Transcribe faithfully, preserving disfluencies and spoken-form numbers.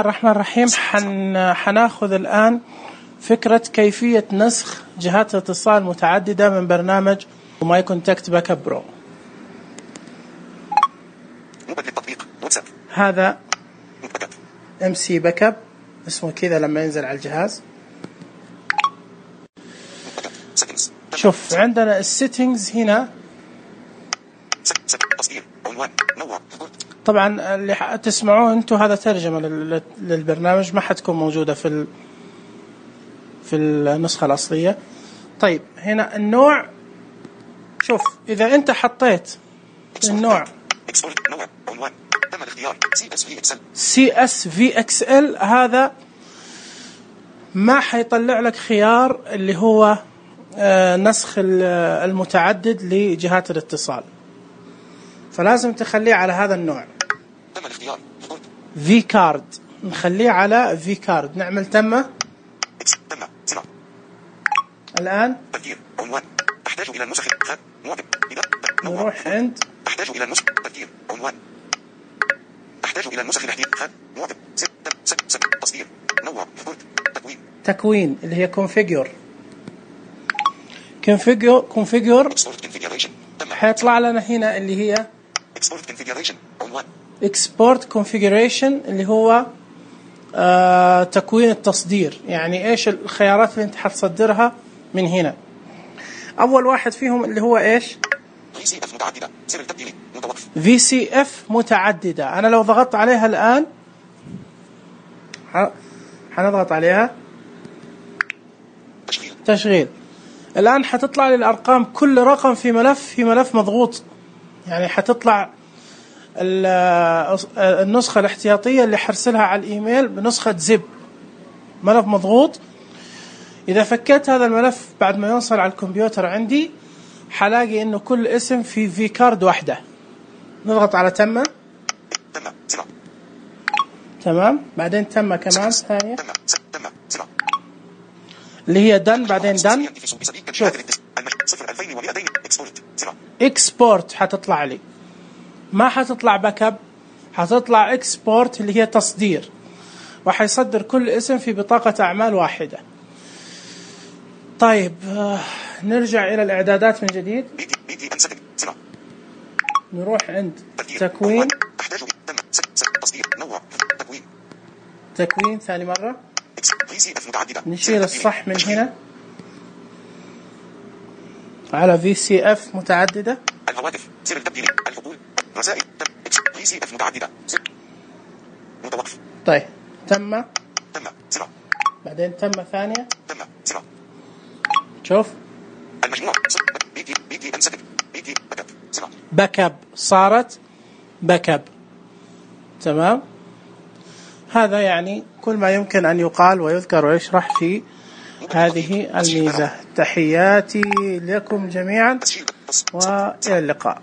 الرحمن الرحيم. حن حناخذ الآن فكرة كيفية نسخ جهات اتصال متعددة من برنامج ماي كونتاكت باك اب برو. هذا ام سي باك اب اسمه كذا لما ينزل على الجهاز. شوف عندنا السيتنجز هنا. طبعا اللي تسمعوه انتم هذا ترجمة للبرنامج، ما حتكون موجودة في في النسخة الأصلية. طيب هنا النوع، شوف إذا أنت حطيت النوع سي اس في اكس ال هذا ما حيطلع لك خيار اللي هو نسخ المتعدد لجهات الاتصال، فلازم تخليه على هذا النوع. في كارد نخليه على في كارد. نعمل تمة الآن. أحتاج إلى النسخ. نروح عند أحتاج إلى النسخ. تفكير عنوان. أحتاج إلى النسخ الاحتياج. معطب. تصدير. نوع. تكوين. تكوين اللي هي configure. configure configure. حيطلع لنا هنا اللي هي export configuration. عنوان. export configuration اللي هو آه تكوين التصدير. يعني إيش الخيارات اللي أنت حتصدرها من هنا؟ أول واحد فيهم اللي هو إيش؟ في سي إف متعددة. سر التبديل متوقف. في سي إف متعددة. أنا لو ضغطت عليها الآن حنضغط عليها تشغيل. تشغيل. الآن حتطلع لي الأرقام، كل رقم في ملف في ملف مضغوط. يعني حتطلع النسخة الاحتياطية اللي حرسلها على الإيميل بنسخة زب، ملف مضغوط. إذا فكيت هذا الملف بعد ما يوصل على الكمبيوتر عندي حلاقي إنه كل اسم في في كارد واحدة. نضغط على تمة. تمام. بعدين تمة كمان ثانية اللي هي دن. بعدين دن. شوف اكسبورت حتطلع لي، ما حتطلع باك اب، حتطلع اكسبورت اللي هي تصدير، وحيصدر كل اسم في بطاقة أعمال واحدة. طيب آه نرجع إلى الإعدادات من جديد. نروح عند تكوين. تكوين ثاني مرة. نشيل الصح من هنا على في سي اف متعددة. الهواتف. سر التبديل. الفضول. رسائل. في سي اف متعددة. متوقف. طيب تم. تم. سرعة. بعدين تم ثانية. تم. سرعة. شوف المجموع. بيتي بيتي انسكت. بيتي باك اب. سرعة. باك اب صارت باك اب. تمام. هذا يعني كل ما يمكن أن يقال ويذكر ويشرح في هذه الميزة. تحياتي لكم جميعا وإلى اللقاء.